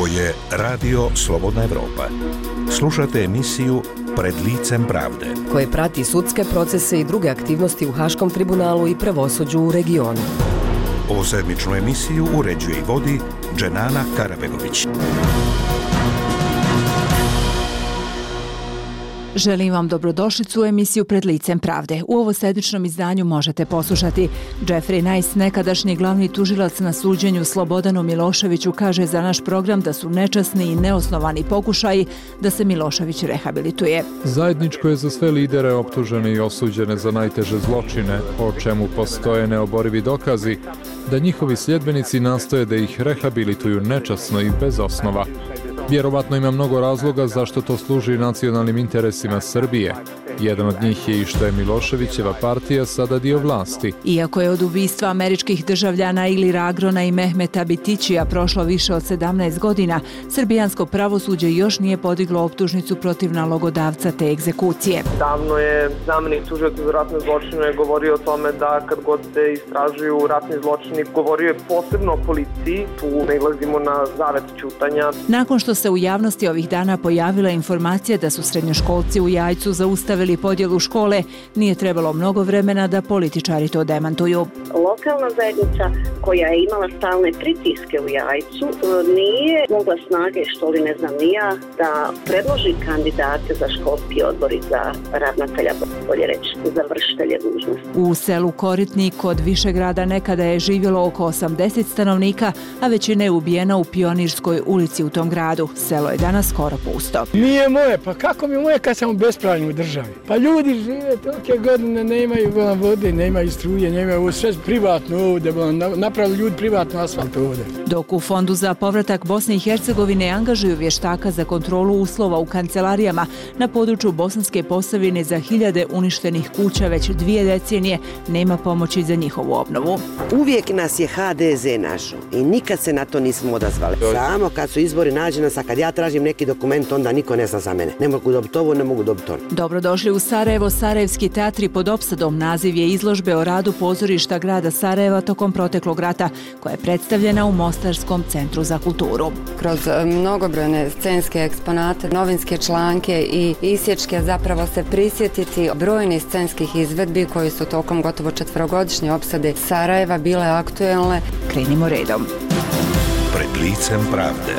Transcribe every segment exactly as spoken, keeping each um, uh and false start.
Ovo je Radio Slobodna Evropa. Slušate emisiju Pred licem pravde, koje prati sudske procese i druge aktivnosti u Haškom tribunalu i pravosuđu u regionu. Ovu sedmičnu emisiju uređuje i vodi Dženana Karabegović. Želim vam dobrodošlicu u emisiju Pred licem pravde. U ovo sedmičnom izdanju možete poslušati. Jeffrey Nice, nekadašnji glavni tužilac na suđenju Slobodanu Miloševiću, kaže za naš program da su nečasni i neosnovani pokušaji da se Milošević rehabilituje. Zajedničko je za sve lidere optužene i osuđene za najteže zločine, o čemu postoje neoborivi dokazi, da njihovi sljedbenici nastoje da ih rehabilituju nečasno i bez osnova. Vjerovatno ima mnogo razloga zašto to služi nacionalnim interesima Srbije. Jedan od njih je i što je Miloševićeva partija sada dio vlasti. Iako je od ubistva američkih državljana Ilira Agrona i Mehmeta Bitićija prošlo više od sedamnaest godina, srbijansko pravosuđe još nije podiglo optužnicu protiv nalogodavca te egzekucije. Davno je zamenik tužioca za ratne zločine govorio o tome da kad god se istražuju ratni zločini, govorio je posebno o policiji, tu nailazimo na zavet ćutanja. Nakon što se u javnosti ovih dana pojavila informacija da su srednjoškolci u Jajcu zaustavili podjelu škole, nije trebalo mnogo vremena da političari to demantuju. Lokalna zajednica koja je imala stalne pritiske u Jajcu nije mogla snage, što li ne znam ni ja, da predloži kandidate za školski odbor i za ravnatelja, bolje reći, za vršitelje dužnosti. U selu Koritnik kod Višegrada nekada je živjelo oko osamdeset stanovnika, a većina je ubijena u Pionirskoj ulici u tom gradu. Selo je danas skoro pusto. Nije moje, pa kako mi moje kad sam u bespravlju u državi? Pa ljudi žive tolike godine, nemaju vode, nemaju struje, nemaju sve privatno ovdje, napravili ljudi privatno asfalt ovdje. Dok u Fondu za povratak Bosne i Hercegovine angažuju vještaka za kontrolu uslova u kancelarijama na području Bosanske Posavine za hiljade uništenih kuća već dvije decenije, nema pomoći za njihovu obnovu. Uvijek nas je ha de ze našo i nikad se na to nismo odazvali. Samo kad su izbori nađe nas, a kad ja tražim neki dokument, onda niko ne zna za mene. Ne mogu dobiti ovo, ne mogu dobiti ono. Dobrodošli u Sarajevo. Sarajevski teatri pod opsadom naziv je izložbe o radu pozorišta grada Sarajeva tokom proteklog rata, koja je predstavljena u Mostarskom centru za kulturu. Kroz mnogobrojne scenske eksponate, novinske članke i isječke zapravo se prisjetiti brojnih scenskih izvedbi koji su tokom gotovo četverogodišnje opsade Sarajeva bile aktuelne. Krenimo redom. Pred licem pravde.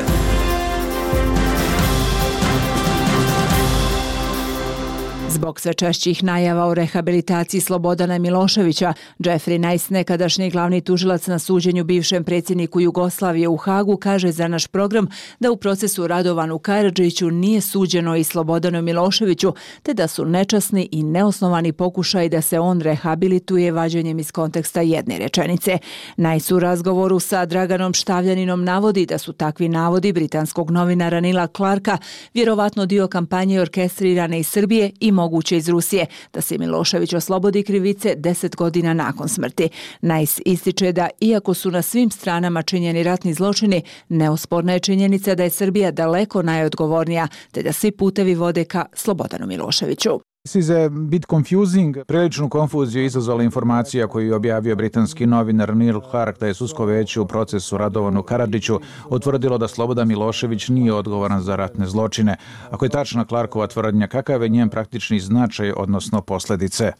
Zbog sve češćih najava o rehabilitaciji Slobodana Miloševića, Jeffrey Nice, nekadašnji glavni tužilac na suđenju bivšem predsjedniku Jugoslavije u Hagu, kaže za naš program da u procesu Radovanu Karadžiću nije suđeno i Slobodanu Miloševiću, te da su nečasni i neosnovani pokušaj da se on rehabilituje vađenjem iz konteksta jedne rečenice. Nice u razgovoru sa Draganom Štavljaninom navodi da su takvi navodi britanskog novinara Nila Clarka vjerovatno dio kampanje orkestrirane iz Srbije i moguće iz Rusije, da se Milošević oslobodi krivice deset godina nakon smrti. Nice ističe da, iako su na svim stranama činjeni ratni zločini, neosporna je činjenica da je Srbija daleko najodgovornija, te da svi putevi vode ka Slobodanu Miloševiću. This is a bit confusing. Priličnu konfuziju izazvala informacija koju je objavio britanski novinar Neil Clark da je sudsko veće u procesu Radovanu Karadžiću utvrdilo da Slobodan Milošević nije odgovoran za ratne zločine. Ako je tačna Clarkova tvrdnja, kakav je njen praktični značaj, odnosno posljedice?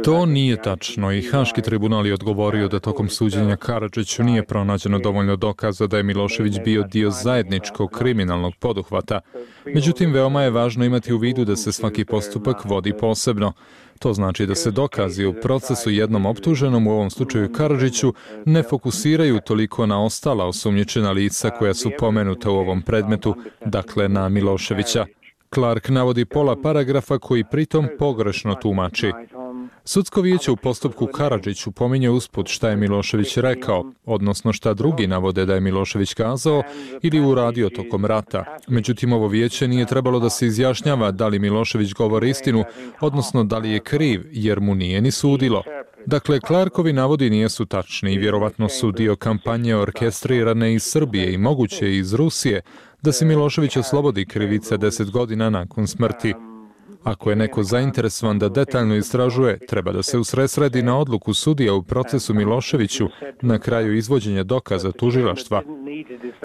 To nije tačno i Haški tribunal je odgovorio da tokom suđenja Karadžiću nije pronađeno dovoljno dokaza da je Milošević bio dio zajedničkog kriminalnog poduhvata. Međutim, veoma je važno imati u vidu da se svaki postupak vodi posebno. To znači da se dokazi u procesu jednom optuženom, u ovom slučaju Karadžiću, ne fokusiraju toliko na ostala osumnjičena lica koja su pomenuta u ovom predmetu, dakle na Miloševića. Clark navodi pola paragrafa koji pritom pogrešno tumači. Sudsko vijeće u postupku Karadžiću pominje usput šta je Milošević rekao, odnosno šta drugi navode da je Milošević kazao ili uradio tokom rata. Međutim, ovo vijeće nije trebalo da se izjašnjava da li Milošević govori istinu, odnosno da li je kriv, jer mu nije ni sudilo. Dakle, Clarkovi navodi nijesu tačni i vjerovatno su dio kampanje orkestrirane iz Srbije i moguće iz Rusije da se Milošević oslobodi krivice deset godina nakon smrti. Ako je neko zainteresovan da detaljno istražuje, treba da se usredsredi na odluku sudija u procesu Miloševiću na kraju izvođenja dokaza tužilaštva.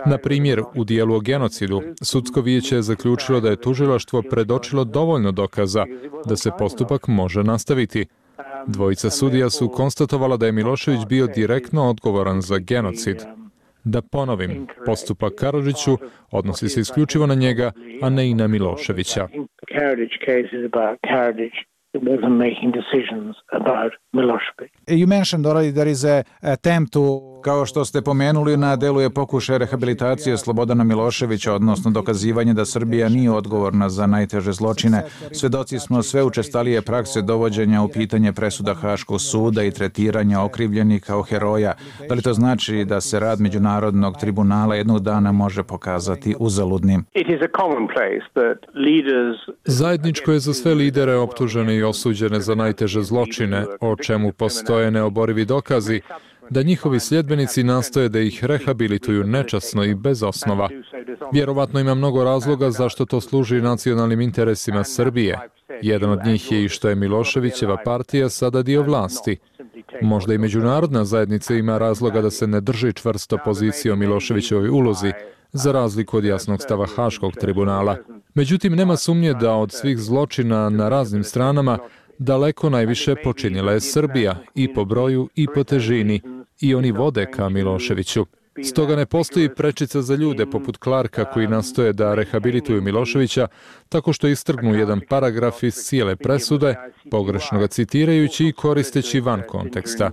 Na primjer, u dijelu o genocidu, sudsko vijeće je zaključilo da je tužilaštvo predočilo dovoljno dokaza da se postupak može nastaviti. Dvojica sudija su konstatovala da je Milošević bio direktno odgovoran za genocid. Da ponovim, postupak Karadžiću odnosi se isključivo na njega, a ne i na Miloševića. wasn't making decisions about Milošević. You mentioned already there is a attempt to, kao što ste pomenuli, na delu je pokušaj rehabilitacije Slobodana Miloševića, odnosno dokazivanje da Srbija nije odgovorna za najteže zločine. Svedoci smo sve učestalije prakse dovođenja u pitanje presuda Haškog suda i tretiranja okrivljenih kao heroja. Da li to znači da se rad Međunarodnog tribunala jednog dana može pokazati uzaludnim? Zajedničko je za sve lidere optužene i osuđene za najteže zločine, o čemu postoje neoborivi dokazi, da njihovi sljedbenici nastoje da ih rehabilituju nečasno i bez osnova. Vjerovatno ima mnogo razloga zašto to služi nacionalnim interesima Srbije. Jedan od njih je i što je Miloševićeva partija sada dio vlasti. Možda i međunarodna zajednica ima razloga da se ne drži čvrsto pozicije o Miloševićevoj ulozi, za razliku od jasnog stava Haškog tribunala. Međutim, nema sumnje da od svih zločina na raznim stranama daleko najviše počinila je Srbija, i po broju i po težini, i oni vode ka Miloševiću. Stoga ne postoji prečica za ljude poput Clarka koji nastoje da rehabilituju Miloševića tako što istrgnu jedan paragraf iz cijele presude, pogrešno ga citirajući i koristeći van konteksta.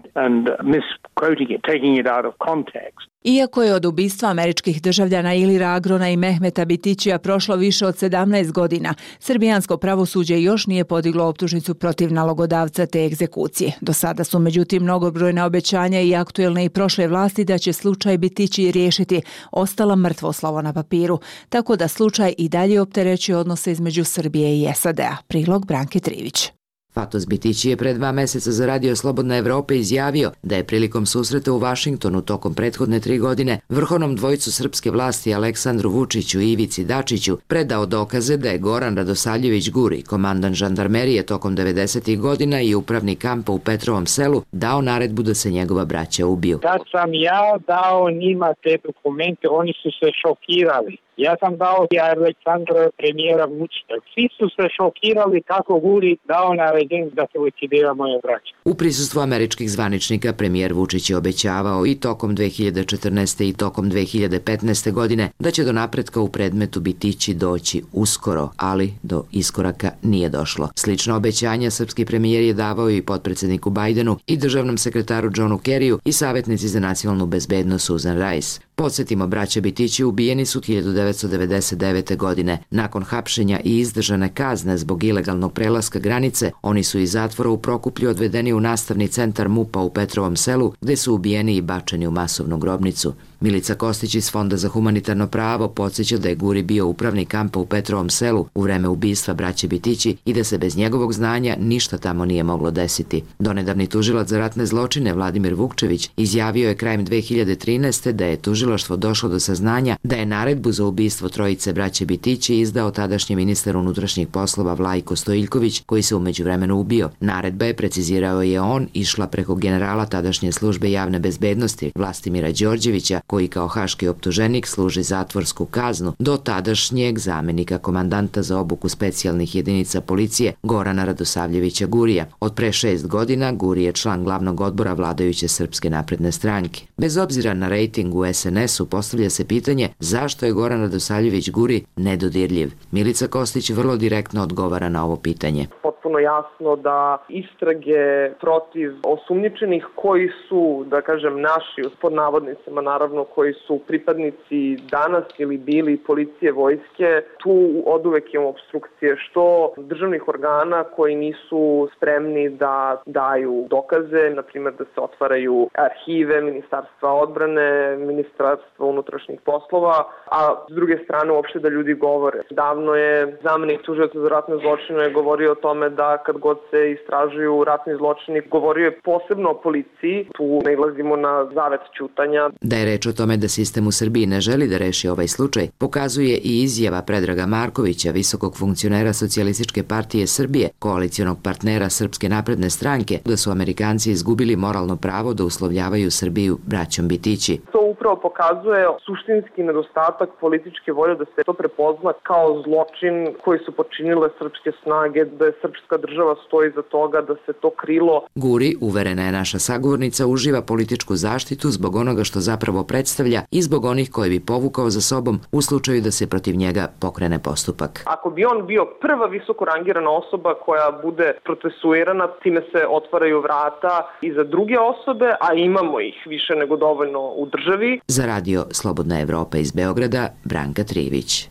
Iako je od ubistva američkih državljana Ilira Agrona i Mehmeta Bitićija prošlo više od sedamnaest godina, srbijansko pravosuđe još nije podiglo optužnicu protiv nalogodavca te egzekucije. Do sada su međutim mnogobrojna obećanja i aktuelne i prošle vlasti da će slučaj Bitići riješiti ostala mrtvo slovo na papiru, tako da slučaj i dalje opterećuje odnose između Srbije i S A D A. Prilog Branke Trivić. Fatos Bitići je pre dva meseca za Radio Slobodna Evropa izjavio da je prilikom susreta u Vašingtonu tokom prethodne tri godine vrhovnom dvojicu srpske vlasti Aleksandru Vučiću i Ivici Dačiću predao dokaze da je Goran Radosavljević Guri, komandant žandarmerije tokom devedesetih godina i upravnik kampa u Petrovom Selu, dao naredbu da se njegova braća ubiju. Kad sam ja dao njima te dokumente, oni su se šokirali. Ja sam dao i Aleksandra premijera Vučića. Svi su se šokirali kako Guri dao naređenje da se likvidira moje braće. U prisustvu američkih zvaničnika premijer Vučić je obećavao i tokom dve hiljade četrnaeste. i tokom dve hiljade petnaeste. godine da će do napretka u predmetu Bitići doći uskoro, ali do iskoraka nije došlo. Slično obećanja srpski premijer je davao i potpredsjedniku Bajdenu i državnom sekretaru Johnu Kerryu i savjetnici za nacionalnu bezbednost Susan Rice. Podsjetimo, braća Bitići ubijeni su hiljadu devetsto devedeset devete. godine. Nakon hapšenja i izdržane kazne zbog ilegalnog prelaska granice, oni su iz zatvora u Prokuplju odvedeni u nastavni centar MUP-a u Petrovom Selu, gde su ubijeni i bačeni u masovnu grobnicu. Milica Kostić iz Fonda za humanitarno pravo podsjeća da je Guri bio upravnik kampa u Petrovom Selu u vreme ubistva braće Bitići i da se bez njegovog znanja ništa tamo nije moglo desiti. Donedavni tužilac za ratne zločine Vladimir Vukčević izjavio je krajem dve hiljade trinaeste. da je tužilaštvo došlo do saznanja da je naredbu za ubistvo trojice braće Bitići izdao tadašnji ministar unutrašnjih poslova Vlajko Stojiljković, koji se u međuvremenu ubio. Naredba je, precizirao je on, išla preko generala tadašnje službe javne bezbednosti Vlastimira Đorđevića, koji kao haški optuženik služi zatvorsku kaznu, do tadašnjeg zamenika komandanta za obuku specijalnih jedinica policije Gorana Radosavljevića Gurija. Od pre šest godina Guri je član glavnog odbora vladajuće Srpske napredne stranke. Bez obzira na rejting u S N S-u postavlja se pitanje zašto je Goran Radosavljević Guri nedodirljiv. Milica Kostić vrlo direktno odgovara na ovo pitanje. Potpuno jasno da istrage protiv osumnjičenih koji su, da kažem, naši, pod navodnicama naravno, koji su pripadnici danas ili bili policije, vojske, tu oduvek imamo obstrukcije što državnih organa koji nisu spremni da daju dokaze, na primjer da se otvaraju arhive Ministarstva odbrane, Ministarstva unutrašnjih poslova, a s druge strane uopšte da ljudi govore. Davno je zamenik tužioca za ratne zločine govorio o tome da kad god se istražuju ratni zločini, govorio je posebno o policiji, tu nailazimo na zavet ćutanja. Da je reč o tome da sistem u Srbiji ne želi da reši ovaj slučaj, pokazuje i izjava Predraga Markovića, visokog funkcionera Socijalističke partije Srbije, koalicionog partnera Srpske napredne stranke, da su Amerikanci izgubili moralno pravo da uslovljavaju Srbiju braćom Bitići. To upravo pokazuje suštinski nedostatak političke volje da se to prepozna kao zločin koji su počinile srpske snage, da je srpska država stoji za toga, da se to krilo. Guri, uverena je naša sagovornica, uživa političku zaštitu zbog onoga što zapravo predstavlja i zbog onih koje bi povukao za sobom u slučaju da se protiv njega pokrene postupak. Ako bi on bio prva visoko rangirana osoba koja bude procesuirana, time se otvaraju vrata i za druge osobe, a imamo ih više nego dovoljno u državi. Za radio Slobodna Evropa iz Beograda, Branka Trivić.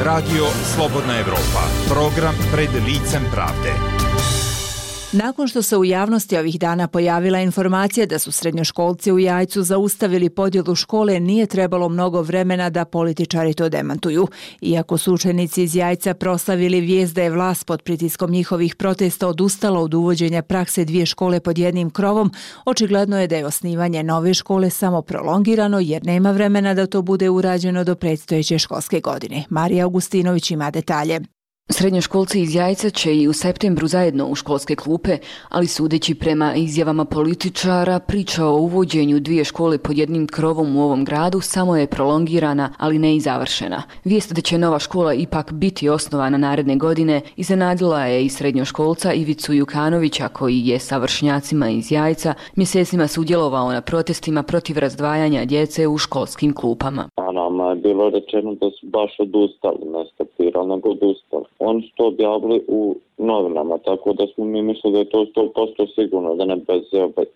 Radio Slobodna Evropa, program pred licem pravde. Nakon što se u javnosti ovih dana pojavila informacija da su srednjoškolci u Jajcu zaustavili podjelu škole, nije trebalo mnogo vremena da političari to demantuju. Iako su učenici iz Jajca proslavili vijest da je vlast pod pritiskom njihovih protesta odustala od uvođenja prakse dvije škole pod jednim krovom, očigledno je da je osnivanje nove škole samo prolongirano jer nema vremena da to bude urađeno do predstojeće školske godine. Marija Augustinović ima detalje. Srednjoškolci iz Jajca će i u septembru zajedno u školske klupe, ali sudeći prema izjavama političara, priča o uvođenju dvije škole pod jednim krovom u ovom gradu samo je prolongirana, ali ne i završena. Vijest da će nova škola ipak biti osnovana naredne godine iznenadila je i srednjoškolca Ivicu Jukanovića, koji je sa vršnjacima iz Jajca mjesecima sudjelovao na protestima protiv razdvajanja djece u školskim klupama. A nama je bilo rečeno da su baš odustali, ne stopirali, nego odustali. Oni su to objavili u novinama, tako da smo mi mislili da je to sto posto sigurno, da ne bez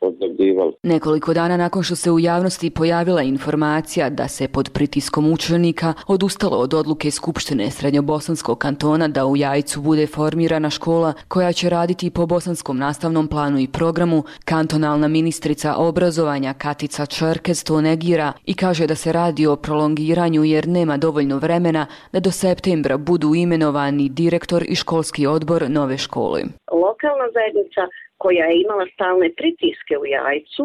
objavljivali. Nekoliko dana nakon što se u javnosti pojavila informacija da se pod pritiskom učenika odustalo od odluke Skupštine Srednjobosanskog kantona da u Jajcu bude formirana škola koja će raditi po bosanskom nastavnom planu i programu, kantonalna ministrica obrazovanja Katica Čerkez to negira i kaže da se radi o prolongiranju jer nema dovoljno vremena da do septembra budu imenovani direktor i školski odbor nove škole. Lokalna zajednica koja je imala stalne pritiske u Jajcu,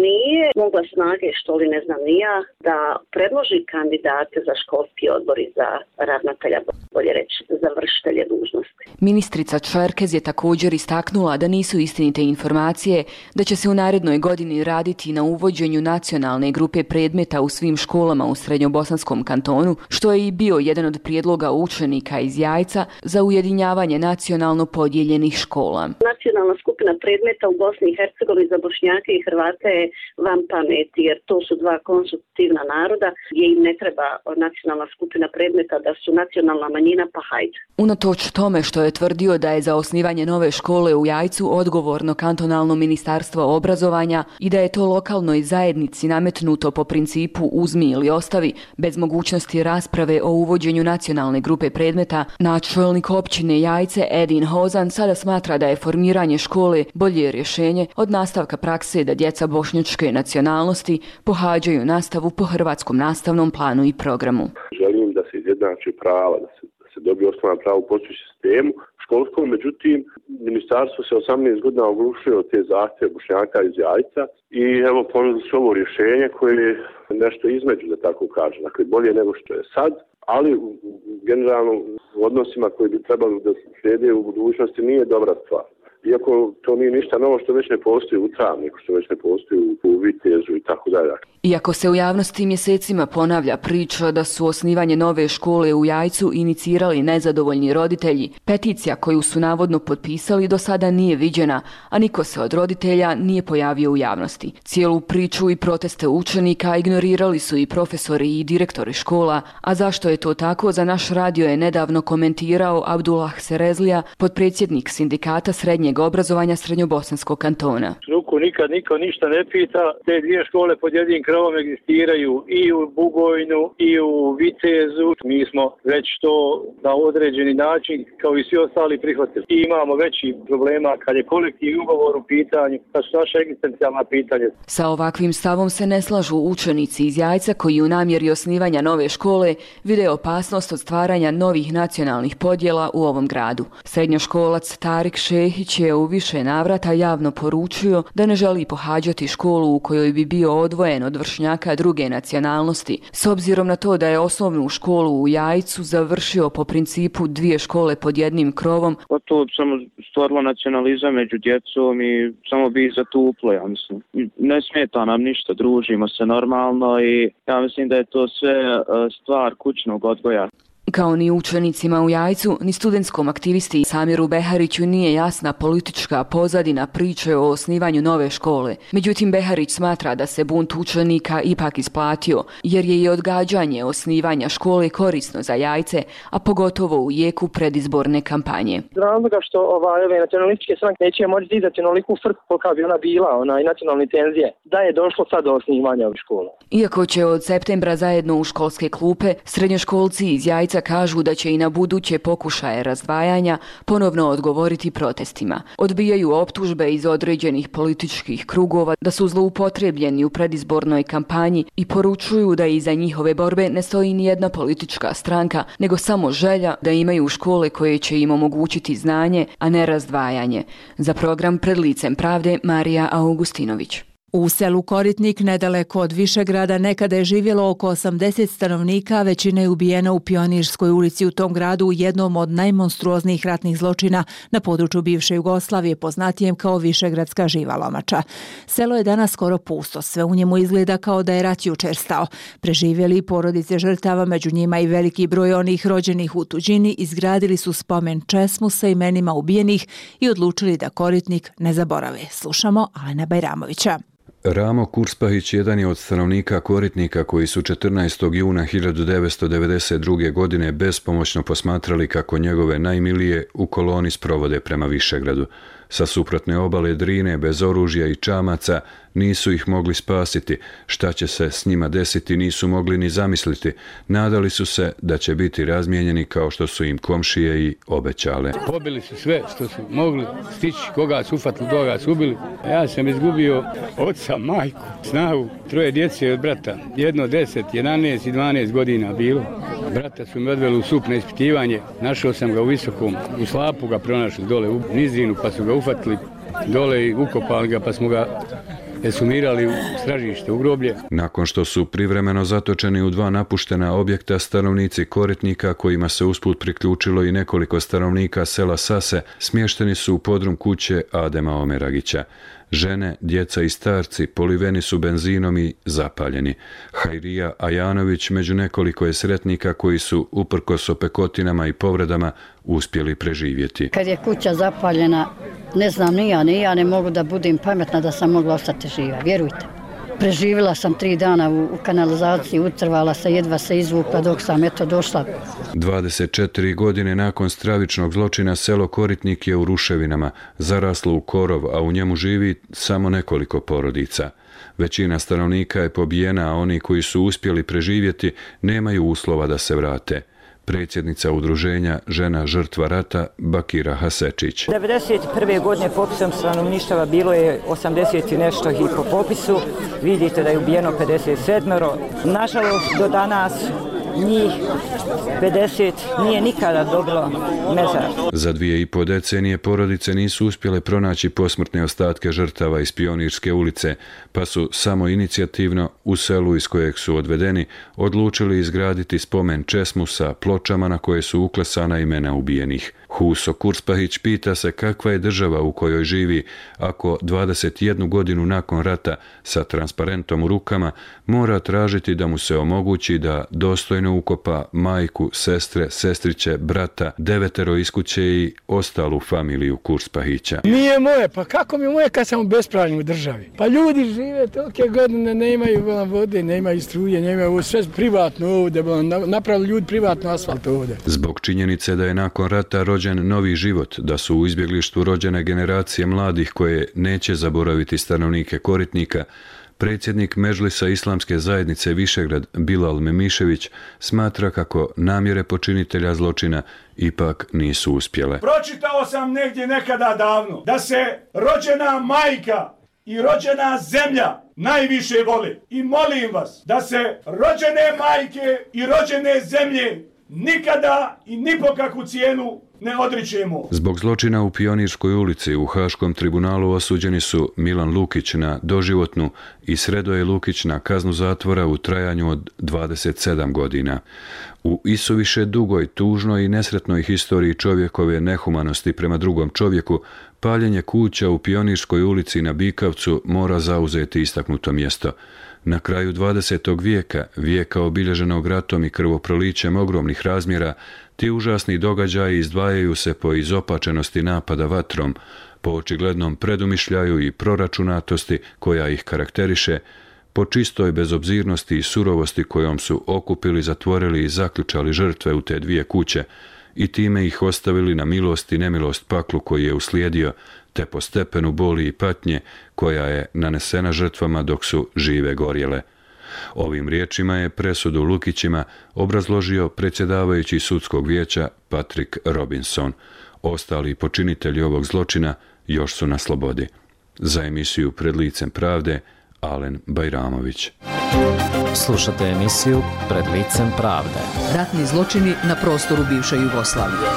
nije mogla snage, što li ne znam ni ja, da predloži kandidate za školski odbor i za ravnatelja, bolje reći, za vršitelje dužnosti. Ministrica Čerkez je također istaknula da nisu istinite informacije da će se u narednoj godini raditi na uvođenju nacionalne grupe predmeta u svim školama u Srednjobosanskom kantonu, što je i bio jedan od prijedloga učenika iz Jajca za ujedinjavanje nacionalno podijeljenih škola. Nacionalna skupina predmeta u Bosni i Hercegovini za Bošnjake i Hrvate je van pameti, jer to su dva konstitutivna naroda gdje im ne treba nacionalna skupina predmeta, da su nacionalna manjina, pa hajde. Unatoč tome što je tvrdio da je za osnivanje nove škole u Jajcu odgovorno kantonalno ministarstvo obrazovanja i da je to lokalnoj zajednici nametnuto po principu uzmi ili ostavi, bez mogućnosti rasprave o uvođenju nacionalne grupe predmeta, načelnik općine Jajce Edin Hozan sada smatra da je formiranje škole bolje rješenje od nastavka prakse da djeca bošnjačke nacionalnosti pohađaju nastavu po hrvatskom nastavnom planu i programu. Želim da se izjednači prava, da se, da se dobije osnovna prava u postojećem sistemu školskom, međutim, ministarstvo se osamnaest godina oglušilo od te zahtjeve Bošnjaka iz Jajca i evo ponudili su ovo rješenje koje je nešto između, da tako kažem, dakle bolje nego što je sad, ali generalno u odnosima koji bi trebali da slijede u budućnosti nije dobra stvar. Iako to nije ništa novo što već ne postoji u Travniku, što već ne postoji u Vitezu i tako dalje. Iako se u javnosti mjesecima ponavlja priča da su osnivanje nove škole u Jajcu inicirali nezadovoljni roditelji, peticija koju su navodno potpisali do sada nije viđena, a niko se od roditelja nije pojavio u javnosti. Cijelu priču i proteste učenika ignorirali su i profesori i direktori škola, a zašto je to tako, za naš radio je nedavno komentirao Abdullah Serezlija, potpredsjednik sindikata srednjeg srednjeg obrazovanja Srednjobosanskog kantona. Struku nikad niko ništa ne pita. Te dvije škole pod jednim krovom egzistiraju i u Bugojnu i u Vitezu. Mi smo već to na određeni način kao i svi ostali prihvatili. I imamo veći problema kad je kolektivni ugovor u pitanju, kad su naše egzistencijalna pitanja. Sa ovakvim stavom se ne slažu učenici iz Jajca koji u namjeri osnivanja nove škole vide opasnost od stvaranja novih nacionalnih podjela u ovom gradu. Srednjoškolac Tarik Šehić je u više navrata javno poručio da ne želi pohađati školu u kojoj bi bio odvojen od vršnjaka druge nacionalnosti, s obzirom na to da je osnovnu školu u Jajcu završio po principu dvije škole pod jednim krovom. Pa to samo stvorilo nacionalizam među djecom i samo bi zatuplo, ja mislim. Ne smeta nam ništa, družimo se normalno i ja mislim da je to sve stvar kućnog odgoja. Kao ni učenicima u Jajcu, ni studentskom aktivisti Samiru Behariću nije jasna politička pozadina priče o osnivanju nove škole. Međutim, Beharić smatra da se bunt učenika ipak isplatio, jer je i odgađanje osnivanja škole korisno za Jajce, a pogotovo u jeku predizborne kampanje. Razloga što ovaj, ove nacionalističke stranke neće moći dizati onoliku frku kolika bi ona bila, ona i nacionalne tenzije, da je došlo sad do osnivanja ove škole. Iako će od septembra zajedno u školske klupe, srednjoškolci iz Jajca kažu da će i na buduće pokušaje razdvajanja ponovno odgovoriti protestima. Odbijaju optužbe iz određenih političkih krugova da su zloupotrebljeni u predizbornoj kampanji i poručuju da iza njihove borbe ne stoji ni jedna politička stranka, nego samo želja da imaju škole koje će im omogućiti znanje, a ne razdvajanje. Za program Pred licem pravde Marija Augustinović. U selu Koritnik, nedaleko od Višegrada, nekada je živjelo oko osamdeset stanovnika, većina je ubijena u Pionirskoj ulici u tom gradu u jednom od najmonstruoznijih ratnih zločina na području bivše Jugoslavije, poznatijem kao Višegradska živa lomača. Selo je danas skoro pusto, sve u njemu izgleda kao da je rat jučer stao. Preživjeli porodice žrtava, među njima i veliki broj onih rođenih u tuđini, izgradili su spomen česmu sa imenima ubijenih i odlučili da Koritnik ne zaborave. Slušamo Alena Bajramovića. Ramo Kurspahić jedan je od stanovnika Koritnika koji su četrnaestog juna hiljadu devetsto devedeset druge. godine bespomoćno posmatrali kako njegove najmilije u koloni sprovode prema Višegradu. Sa suprotne obale Drine, bez oružja i čamaca, nisu ih mogli spasiti. Šta će se s njima desiti nisu mogli ni zamisliti. Nadali su se da će biti razmijenjeni kao što su im komšije i obećale. Pobili su sve što su mogli stići, koga su ufatili, koga su ubili. Ja sam izgubio oca, majku, snagu, troje djece od brata. Jedno deset, jedanaest i dvanaest godina bilo. Brata su me odveli u sup na ispitivanje. Našao sam ga u Visokom, u Slapu ga pronašli dole u Nizinu, pa su ga ufatili dole i ukopali ga, pa smo ga esumirali u stražište, u groblje. Nakon što su privremeno zatočeni u dva napuštena objekta, stanovnici Koritnika, kojima se usput priključilo i nekoliko stanovnika sela Sase, smješteni su u podrum kuće Adema Omeragića. Žene, djeca i starci poliveni su benzinom i zapaljeni. Hajrija Ajanović među nekoliko je sretnika koji su, uprkos opekotinama i povredama, uspjeli preživjeti. Kad je kuća zapaljena, ne znam ni ja, ni ja ne mogu da budem pametna da sam mogla ostati živa, vjerujte. Preživjela sam tri dana u, u kanalizaciji, utrvala se, jedva se izvukla dok sam eto došla. dvadeset četiri godine nakon stravičnog zločina selo Koritnik je u ruševinama, zaraslo u korov, a u njemu živi samo nekoliko porodica. Većina stanovnika je pobijena, a oni koji su uspjeli preživjeti nemaju uslova da se vrate. Predsjednica udruženja Žena žrtva rata Bakira Hasečić. devedeset prve. godine popisom stanovništva bilo je osamdeset i nešto ih po popisu. Vidite da je ubijeno pedeset sedam. Nažalost, do danas njih pedeset nije nikada dobilo mezar. Za dvije i po decenije porodice nisu uspjele pronaći posmrtne ostatke žrtava iz Pionirske ulice, pa su samo inicijativno u selu iz kojeg su odvedeni odlučili izgraditi spomen česmu sa pločama na koje su uklesana imena ubijenih. Huso Kurspahić pita se kakva je država u kojoj živi ako dvadeset jednu godinu nakon rata sa transparentom u rukama mora tražiti da mu se omogući da dostojno vojno ukopa majku, sestre, sestriće, brata, devetero iz kuće i ostalu familiju Kurspahića. Nije moje, pa kako mi je moje kad sam u bespravljenju u državi? Pa ljudi žive tolike godine, ne imaju vode, ne imaju struje, ne imaju sve privatno ovdje, napravili ljudi privatno asfalt ovdje. Zbog činjenice da je nakon rata rođen novi život, da su u izbjeglištvu rođene generacije mladih koje neće zaboraviti stanovnike Koritnika, predsjednik Medžlisa Islamske zajednice Višegrad Bilal Memišević smatra kako namjere počinitelja zločina ipak nisu uspjele. Pročitao sam negdje nekada davno da se rođena majka i rođena zemlja najviše vole. I molim vas da se rođene majke i rođene zemlje nikada i ni po kakvu cijenu ne odričemo. Zbog zločina u Pionirskoj ulici u Haškom tribunalu osuđeni su Milan Lukić na doživotnu i Sredoje Lukić na kaznu zatvora u trajanju od dvadeset sedam godina. U isuviše dugoj, tužnoj i nesretnoj historiji čovjekove nehumanosti prema drugom čovjeku, paljenje kuća u Pionirskoj ulici na Bikavcu mora zauzeti istaknuto mjesto. Na kraju dvadesetog vijeka, vijeka obilježenog ratom i krvoprolićem ogromnih razmjera, ti užasni događaji izdvajaju se po izopačenosti napada vatrom, po očiglednom predumišljaju i proračunatosti koja ih karakteriše, po čistoj bezobzirnosti i surovosti kojom su okupili, zatvorili i zaključali žrtve u te dvije kuće i time ih ostavili na milost i nemilost paklu koji je uslijedio, te po stepenu boli i patnje koja je nanesena žrtvama dok su žive gorjele. Ovim riječima je presudu Lukićima obrazložio predsjedavajući sudskog vijeća Patrick Robinson. Ostali počinitelji ovog zločina još su na slobodi. Za emisiju Pred licem pravde, Alen Bajramović. Slušate emisiju Pred licem pravde. Ratni zločini na prostoru bivše Jugoslavije.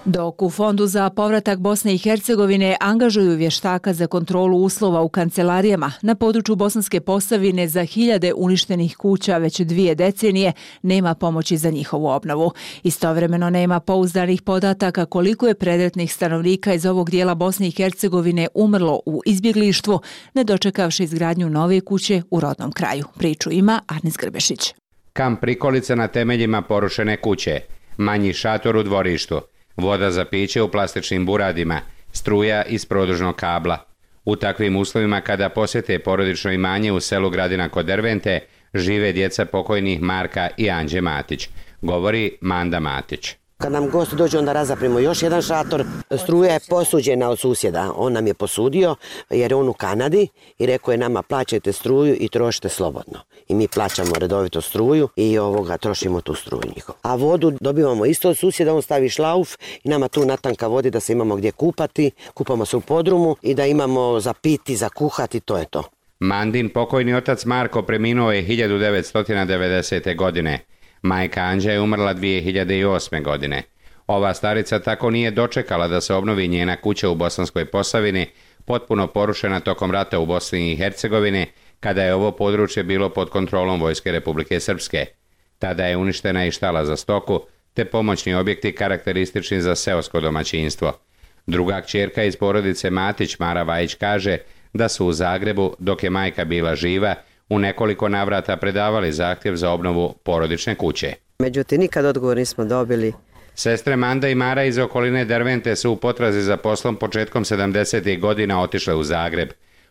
Dok u Fondu za povratak Bosne i Hercegovine angažuju vještaka za kontrolu uslova u kancelarijama, na području Bosanske Posavine za hiljade uništenih kuća već dvije decenije nema pomoći za njihovu obnovu. Istovremeno nema pouzdanih podataka koliko je predratnih stanovnika iz ovog dijela Bosne i Hercegovine umrlo u izbjeglištvu, ne dočekavši izgradnju nove kuće u rodnom kraju. Priču ima Arnis Grbešić. Kamp prikolica na temeljima porušene kuće, manji šator u dvorištu, voda za piće u plastičnim buradima, struja iz produžnog kabla. U takvim uslovima kada posjete porodično imanje u selu Gradina kod Dervente, žive djeca pokojnih Marka i Anđe Matić, govori Manda Matić. Kad nam gosti dođu, onda razaprimo još jedan šator. Struja je posuđena od susjeda. On nam je posudio jer je on u Kanadi i rekao je nama plaćajte struju i trošite slobodno. I mi plaćamo redovito struju i ovoga trošimo tu struju njihovu. A vodu dobivamo isto od susjeda, on stavi šlauf i nama tu natanka vodi da se imamo gdje kupati, kupamo se u podrumu i da imamo za piti, za kuhati, to je to. Mandin pokojni otac Marko preminuo je hiljadu devetsto devedesete. godine. Majka Anđa je umrla dvije hiljade osme. godine. Ova starica tako nije dočekala da se obnovi njena kuća u Bosanskoj Posavini, potpuno porušena tokom rata u Bosni i Hercegovini, kada je ovo područje bilo pod kontrolom Vojske Republike Srpske. Tada je uništena i štala za stoku, te pomoćni objekti karakteristični za seosko domaćinstvo. Druga kćerka iz porodice Matić, Mara Vajić, kaže da su u Zagrebu, dok je majka bila živa, u nekoliko navrata predavali zahtjev za obnovu porodične kuće. Međutim, nikad odgovor nismo dobili. Sestre Manda i Mara iz okoline Dervente su u potrazi za poslom početkom sedamdesetih godina otišle u Zagreb.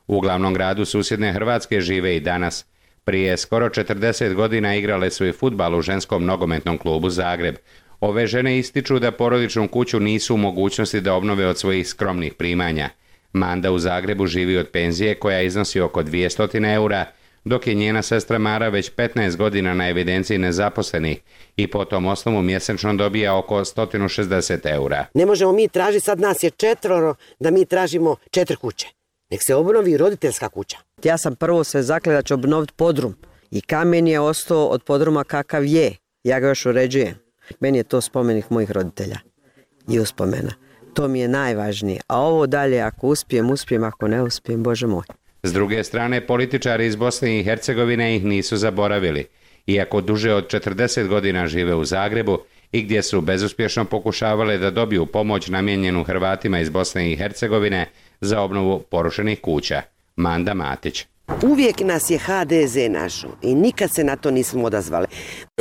U glavnom gradu susjedne Hrvatske žive i danas. Prije skoro četrdeset godina igrale su i fudbal u ženskom nogometnom klubu Zagreb. Ove žene ističu da porodičnu kuću nisu u mogućnosti da obnove od svojih skromnih primanja. Manda u Zagrebu živi od penzije koja iznosi oko dvjesto eura, dok je njena sestra Mara već petnaest godina na evidenciji nezaposlenih i po tom osnovu mjesečno dobija oko sto šezdeset eura. Ne možemo mi tražiti, sad nas je četvoro, da mi tražimo četiri kuće. Nek se obnovi roditeljska kuća. Ja sam prvo se zaklela da ću obnoviti podrum i kamen je ostao od podruma kakav je. Ja ga još uređujem. Meni je to spomenik mojih roditelja i uspomena. To mi je najvažnije. A ovo dalje, ako uspijem, uspijem, ako ne uspijem, Bože moj. S druge strane, političari iz Bosne i Hercegovine ih nisu zaboravili. Iako duže od četrdeset godina žive u Zagrebu i gdje su bezuspješno pokušavali da dobiju pomoć namijenjenu Hrvatima iz Bosne i Hercegovine za obnovu porušenih kuća. Manda Matić. Uvijek nas je ha de ze našo i nikad se na to nismo odazvali.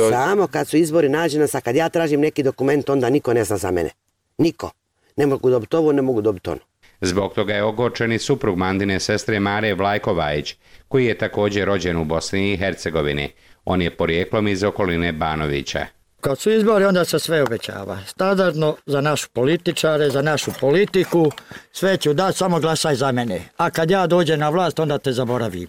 Samo kad su izbori nađe nas, a kad ja tražim neki dokument, onda niko ne zna za mene. Niko. Ne mogu dobiti ovo, ne mogu dobiti ono. Zbog toga je ogorčen i suprug Mandine sestre Mare Vlajkovajić, koji je također rođen u Bosni i Hercegovini. On je porijeklom iz okoline Banovića. Kad su izbori, onda se sve obećava. Standardno za našu političare, za našu politiku, sve ću dati, samo glasaj za mene. A kad ja dođem na vlast, onda te zaboravim.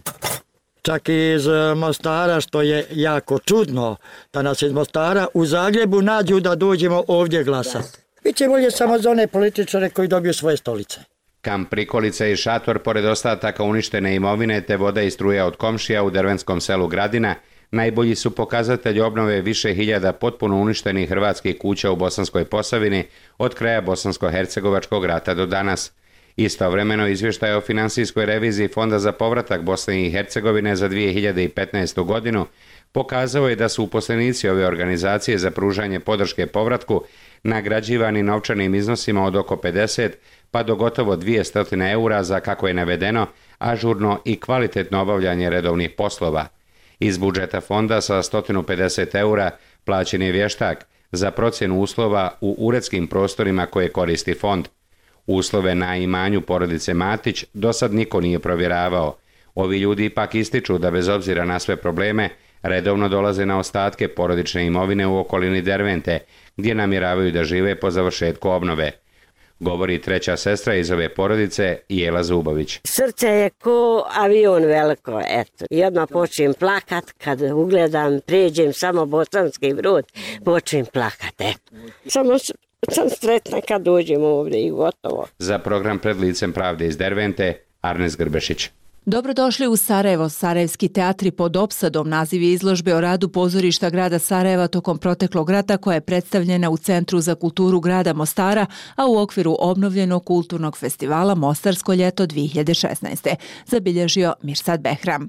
Čak i iz Mostara, što je jako čudno, da nas iz Mostara u Zagrebu nađu da dođemo ovdje glasati. Biće bolje samo za one političare koji dobiju svoje stolice. Kamp Prikolica i šator, pored ostataka uništene imovine te voda i struja od komšija u dervenskom selu Gradina, najbolji su pokazatelj obnove više hiljada potpuno uništenih hrvatskih kuća u Bosanskoj Posavini od kraja Bosansko-hercegovačkog rata do danas. Istovremeno izvještaj o finansijskoj reviziji Fonda za povratak Bosne i Hercegovine za dvije hiljade petnaestu. godinu pokazao je da su uposlenici ove organizacije za pružanje podrške povratku nagrađivani novčanim iznosima od oko pedeset pa do gotovo dvjesto eura za, kako je navedeno, ažurno i kvalitetno obavljanje redovnih poslova. Iz budžeta fonda sa sto pedeset eura plaćen je vještak za procjenu uslova u uredskim prostorima koje koristi fond. Uslove na imanju porodice Matić do sad niko nije provjeravao. Ovi ljudi ipak ističu da bez obzira na sve probleme redovno dolaze na ostatke porodične imovine u okolini Dervente, gdje namjeravaju da žive po završetku obnove. Govori treća sestra iz ove porodice, Jela Zubović. Srce je ko avion veliko, eto. I odmah počnem plakat, kad ugledam, pređem samo Bosanski Brod, počnem plakat, eto. Samo sam sretna kad dođem ovdje i gotovo. Za program Pred licem pravde iz Dervente, Arnes Grbešić. Dobrodošli u Sarajevo. Sarajevski teatri pod opsadom naziv je izložbe o radu pozorišta grada Sarajeva tokom proteklog rata koja je predstavljena u Centru za kulturu grada Mostara, a u okviru obnovljenog kulturnog festivala Mostarsko ljeto dvije hiljade šesnaeste. Zabilježio Mirsad Behram.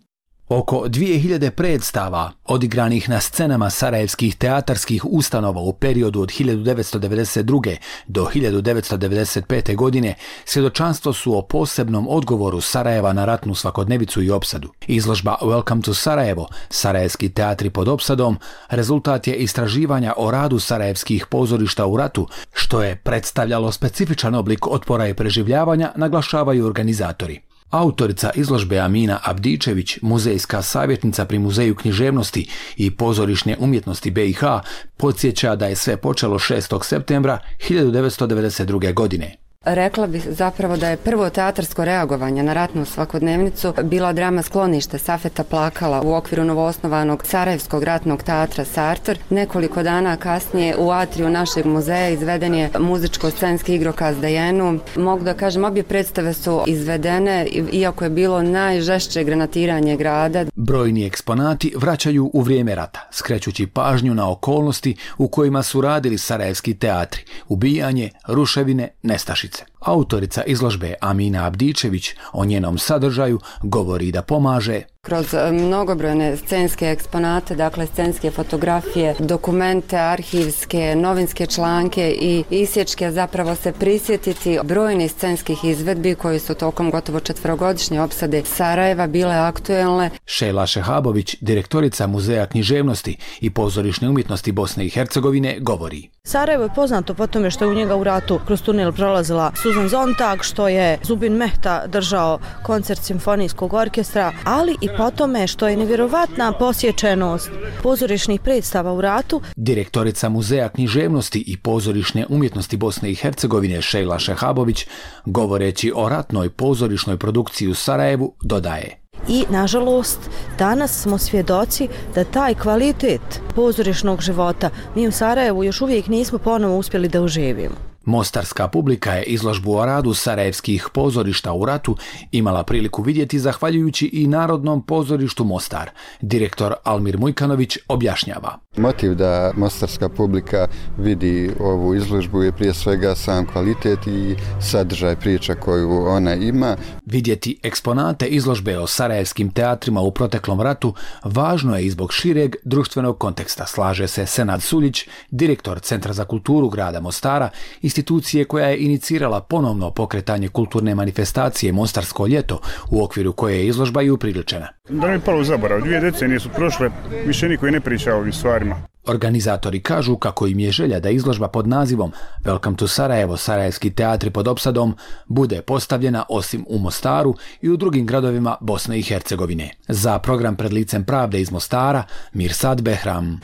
Oko dvije hiljade predstava odigranih na scenama sarajevskih teatarskih ustanova u periodu od hiljadu devetsto devedeset druge. do hiljadu devetsto devedeset pete. godine svjedočanstvo su o posebnom odgovoru Sarajeva na ratnu svakodnevicu i opsadu. Izložba Welcome to Sarajevo, Sarajevski teatri pod opsadom, rezultat je istraživanja o radu sarajevskih pozorišta u ratu, što je predstavljalo specifičan oblik otpora i preživljavanja, naglašavaju organizatori. Autorica izložbe Amina Abdičević, muzejska savjetnica pri Muzeju književnosti i pozorišne umjetnosti be i ha, podsjeća da je sve počelo šestog septembra hiljadu devetsto devedeset druge. godine. Rekla bih zapravo da je prvo teatarsko reagovanje na ratnu svakodnevnicu bila drama Sklonište Safeta Plakala u okviru novoosnovanog Sarajevskog ratnog teatra Sartor. Nekoliko dana kasnije u atriju našeg muzeja izveden je muzičko-scenski igrokaz Dejenu. Mogu da kažem, obje predstave su izvedene iako je bilo najžešće granatiranje grada. Brojni eksponati vraćaju u vrijeme rata, skrećući pažnju na okolnosti u kojima su radili sarajevski teatri, ubijanje, ruševine, nestašice. Autorica izložbe Amina Abdičević o njenom sadržaju govori da pomaže kroz mnogobrojne scenske eksponate, dakle scenske fotografije, dokumente, arhivske, novinske članke i isječke, zapravo se prisjetiti brojnih scenskih izvedbi koji su tokom gotovo četverogodišnje opsade Sarajeva bile aktuelne. Šejla Šehabović, direktorica Muzeja književnosti i pozorišne umjetnosti Bosne i Hercegovine, govori. Sarajevo je poznato po tome što je u njega u ratu kroz tunel prolazila Suzan Zontag, što je Zubin Mehta držao koncert simfonijskog orkestra, ali i po tome što je nevjerovatna posjećenost pozorišnih predstava u ratu. Direktorica Muzeja književnosti i pozorišne umjetnosti Bosne i Hercegovine Šejla Šehabović, govoreći o ratnoj pozorišnoj produkciji u Sarajevu, dodaje. I, nažalost, danas smo svjedoci da taj kvalitet pozorišnog života mi u Sarajevu još uvijek nismo ponovo uspjeli da uživimo. Mostarska publika je izložbu o radu sarajevskih pozorišta u ratu imala priliku vidjeti zahvaljujući i Narodnom pozorištu Mostar. Direktor Almir Mujkanović objašnjava. Motiv da mostarska publika vidi ovu izložbu je prije svega sam kvalitet i sadržaj priča koju ona ima. Vidjeti eksponate izložbe o sarajevskim teatrima u proteklom ratu važno je i zbog šireg društvenog konteksta, slaže se Senad Suljić, direktor Centra za kulturu grada Mostara, institucije koja je inicirala ponovno pokretanje kulturne manifestacije Mostarsko ljeto, u okviru koje je izložba i upriličena. Da ne bi palo u zaborav, dvije decenije su prošle, više niko i ne priča o ovim stvarima. Organizatori kažu kako im je želja da izložba pod nazivom Welcome to Sarajevo, Sarajevski teatri pod opsadom bude postavljena osim u Mostaru i u drugim gradovima Bosne i Hercegovine. Za program Pred licem pravde iz Mostara, Mirsad Behram.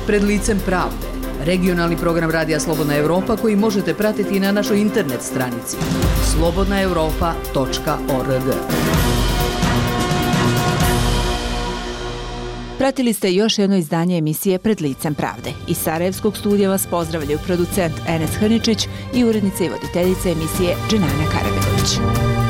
Pred licem pravde. Regionalni program Radija Slobodna Evropa koji možete pratiti na našoj internet stranici slobodna europa tačka org. Pratili ste još jedno izdanje emisije Pred licem pravde. Iz Sarajevskog studija vas pozdravljaju producent Enes Hrničić i urednica i voditeljica emisije Dženana Karabegović.